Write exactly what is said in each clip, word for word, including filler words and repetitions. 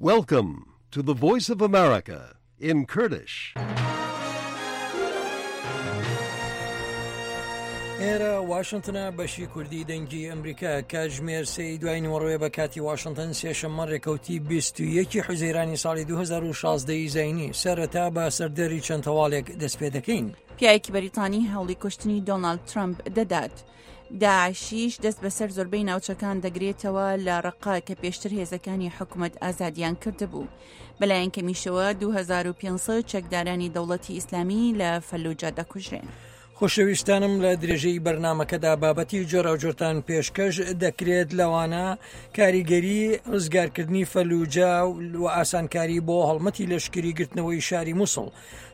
Welcome to the Voice of America in Kurdish. ئێرە واشنتنە، بەشی کوردی دەنگی ئەمریکا. کاتژمێر سێی دوای نیوەڕۆیە بە کاتی واشنتن، سێشەممە ڕێکەوتی بیست و یەکی حوزەیرانی ساڵی دوو هەزار و شازدە ی زایینی. سەرەتا بە سەردەری چەند هەواڵێک دەست پێ دەکەین. پیاوێکی بەریتانی هەوڵی کوشتنی دۆناڵد ترەمپ دەدات. داعشیش دەست بەسەر زۆربەی ناوچەکان دەگرێتەوە لە ڕەقە کە پێشتر هێزەکانی حکوومەت ئازادیان کردبوو. بەلایەن کەمیشەوە دوو هەزار و پێنج سەد چەکدارانی دەوڵەتی ئیسلامی لە فەلوجە دەکوژرێن. خۆشەویستانم، لە درێژەی بەرنامەکەدا بابەتی جۆراوجۆرتان پێشکەش دەکرێت، لەوانە کاریگەری ڕزگارکردنی فەلوجە و ئاسانکاری بۆ هەڵمەتی لەشکری گرتنەوەی شاری موسڵ،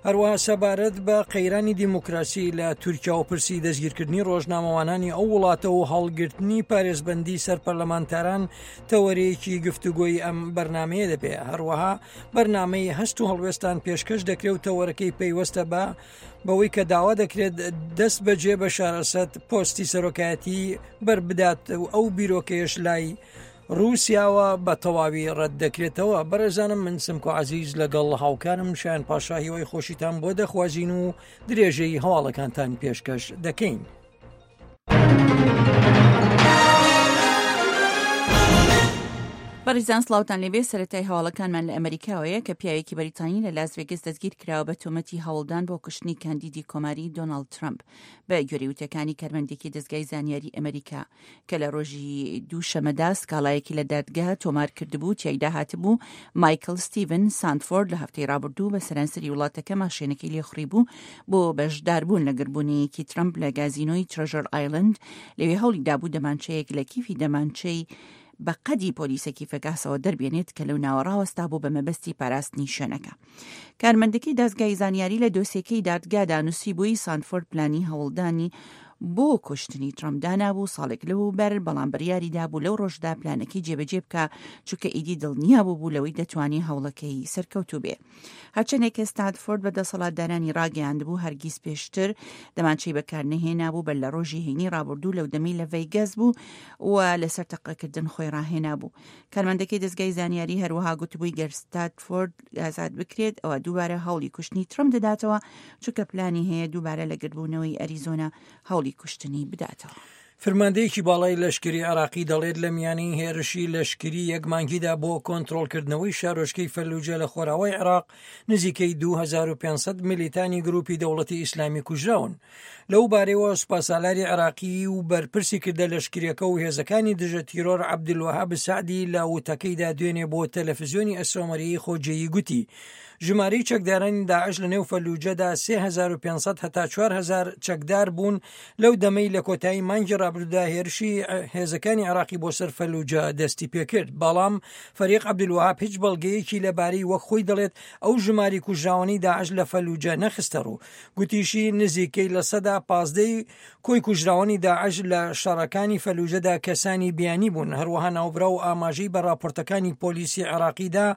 هەروەها سەبارەت بە قەیرانی دیموکراسی لە تورکیا و پرسی دەستگیرکردنی ڕۆژنامەوانانی ئەو وڵاتە و هەڵگرتنی پارێزبەندی سەر پەرلەمانتاران تەوەرەیەکی گفتوگۆی ئەم بەرنمەیە دەبێ. هەروەها بەرنامەی هەست و هەڵوێستان پێشکەش دەکرێت و تەوەرەکەی پەیوەستە بە بەوەی کە داوا دەکرێت دەست بەجێ بە شارەسەد پۆستی سەرۆکایەتی بربدات و ئەو بیرۆکەیەش لای رووسیاوە بە تەواوی ڕەت دەکرێتەوە. بەڕێزانم، من سمکۆ عەزیز لەگەڵ هاوکارم شایان پاشا هیوای خۆشیتان بۆ دەخوازین و درێژەی هەواڵەکانتان پێشکەش دەکەین. بەڕێزان سڵاوتان لێبێ. سەرەتای هەواڵەکانمان لە ئەمریکاوەیە کە پیاوێکی بەریتانی لە لاس ڤێگەس دەستگیر کراوە بە تۆمەتی هەوڵدان بۆ کوشتنی کاندیدی کۆماری دۆناڵد ترەمپ. بە گوێرەی وتەکانی کارمەندێکی دەزگای زانیاری ئەمریکا کە لە ڕۆژی دووشەمەدا سکاڵایەکی لە دادگا تۆمار کردبوو، تیایدا هاتبوو مایکل ستیڤن ساندفۆرد لە هەفتەی ڕابردوو بە سەرانسەری وڵاتەکە ماشێنەکەی لێخوڕی بوو بۆ بەشداربوون لە گربوونەیەکی ترەمپ لە گازینۆی ترەژەر ئایلەند. لەوێ هەوڵی دابوو دەمانچەیەک لە کیفی دەمانچەی بە قەدی پۆلیسێکی فەگاسەوە دەربێنێت کە لەو ناوە ڕاوەستا بوو بە مەبەستی پاراستنی شوێنەکە. کارمەندەکەی دەزگای زانیاری لە دۆسیەکەی دادگادا نووسی بووی سانفۆرد پلانی هەوڵدانی بۆ کوشتنی ترەمپ دانابوو ساڵێک لەوەوبەر، بەڵام بڕیاری دابوو لەو ڕۆژدا پلانەکەی جێبەجێ بکە، چونکە ئیدی دڵنیا بوو بوو لەوەی دەتوانێت هەوڵەکەی سەرکەوتوو بێ. هەرچەندێک کە ستادفۆرد بە دەسەڵاتدارانی ڕاگەیاندبوو هەرگیز پێشتر دەمانچەی بەکار نەهێنابوو، بەر لە ڕۆژی هەینی ڕابردوو لەو دەمەی لە ڤەیگەس بوو و لەسەر تەقەکردن خۆی ڕاهێنابوو. کارمەندەکەی دەزگای زانیاری هەروەها گوتبووی گەر ستادفۆرد ئازاد بکرێت ئەوە دووبارە هەوڵی کوشتنی ترەمپ دەداتەوە، چونکە پلانی هەیە دووبارە لە گردبوونەوەی ئەریزۆنا هەوڵی کوشتنی بداتەوە. فرماندەیەکی باڵای لەشکری عراقی دەڵێت لە میانی هێرشی لەشکری یەک مانگیدا بۆ کۆنترۆڵکردنەوەی شارۆچکەی فەلوجە لە خۆراوای عراق نزیکەی دوو هەزار و پێنج سەد میلیتانی گروپی دەوڵەتی ئیسلامی کوژراون. لەو بارەیەوە سوپاسالاری عراقی و بەرپرسی کردە لەشکریەکە و هێزەکانی دژە تیرۆر عەبدولوەهاب سەعدی لە وتەکەیدا دوێنێ بۆ تەلەفزیۆنی ئەسۆمەریی خۆجێیی گوتی ژمارەی چەکدارانی داعش لە نێو فەلوجەدا سێ هەزار و پێنج سەد هەتا چوار هەزار چەکدار بوون لەو دەمەی لە کۆتایی مانگی ڕابردوودا هێرشی هێزەکانی عراقی بۆ سەر فەلوجە دەستی پێکرد. بەڵام فەریق عەبدولوەهاب هیچ بەڵگەیەکی لەبارەی وەک خۆی دەڵێت ئەو ژماری کوژراوانەی داعش لە فەلوجە نەخستە ڕوو. گوتیشی نزیکەی لە سەدا پازدەی کۆی کوژراوانی داعش لە شەڕەکانی فەلوجەدا کەسانی بیانی بوون. هەروەها ناوبراو ئاماژەی بە راپۆرتەکانی پۆلیسی عراقیدا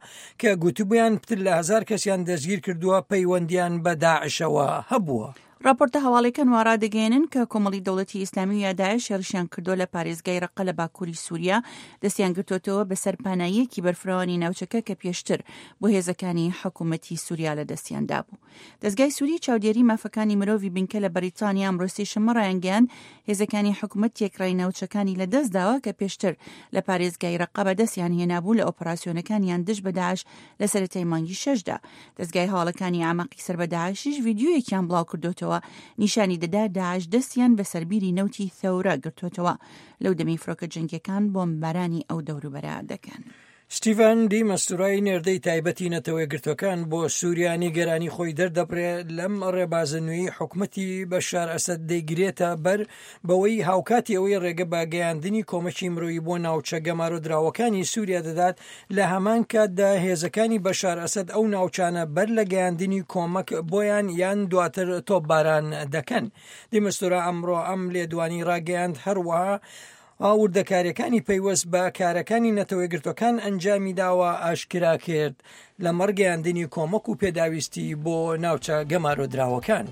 کە گوتبوویان پتر لە هەزار کەسیان دەستگیر کردووە پەیوەندیان بە داعشەوە هەبووە. راپۆرتە هەواڵەکان وا ڕادەگەیەنن کە کۆمەڵی دەوڵەتی ئیسلامی و یا داعش هێرشیان کردووە لە پارێزگای ڕەقە لە باکووری سووریا، دەستیان گرتووەتەوە بەسەر پاناییەکی بەرفراوانی ناوچەکە کە پێشتر بۆ هێزەکانی حکوومەتی سووریا لە دەستیان دابوو. دەزگای سووری چاودێری مافەکانی مرۆڤی بنکە لە بەریتانیا ئەمڕۆ سێشەممە ڕایانگەیاند هێزەکانی حکوومەت تێکڕای ناوچەکانی لە دەست داوە کە پێشتر لە پارێزگای ڕەقە بەدەستیان هێنابوو لە ئۆپەراسیۆنەکانیان دژ بە داعش لە سەرەتای مانگی شەشدا. دەزگای هەواڵەکانی ئاماقی سەر بە داعشیش ڤیدیۆیەکیان بڵاو کردوتەوە نیشانی دەدا داعش دەستیان بە سەربیری نەوتی ثەورە گرتوتەوە لەو دەمی فرۆکە جەنگیەکان بۆمبارانی ئەو دەوروبەرە دەکەن. ستیڤان دی مەستورای نێردەی تایبەتی نەتەوە یەکگرتووەکان بۆ سووریا نیگەرانی خۆی دەردەبرێ لەم ڕێبازە نوێی حکومەتی بەشار ئەسەد دەیگرێتە بەر بەوەی هاوکاتی ئەوەی ڕێگە بە گەیاندنی کۆمەکی مرۆیی بۆ ناوچە گەمارۆدراوەکانی سووریا دەدات، لە هەمان کاتدا هێزەکانی بەشار ئەسەد ئەو ناوچانە بەر لە گەیاندنی کۆمەک بۆیان یان دواتر تۆپباران دەکەن. دی مەستورا ئەمڕۆ ئەم لێدوانی ڕاگەیاند. هەروەها وردەکاریەکانی پەیوەست بە کارەکانی نەتەوە یەکگرتووەکان ئەنجامی داوە ئاشکرا کرد لە مەڕگەیاندنی کۆمەک و پێداویستی بۆ ناوچە گەمارۆدراوەکان.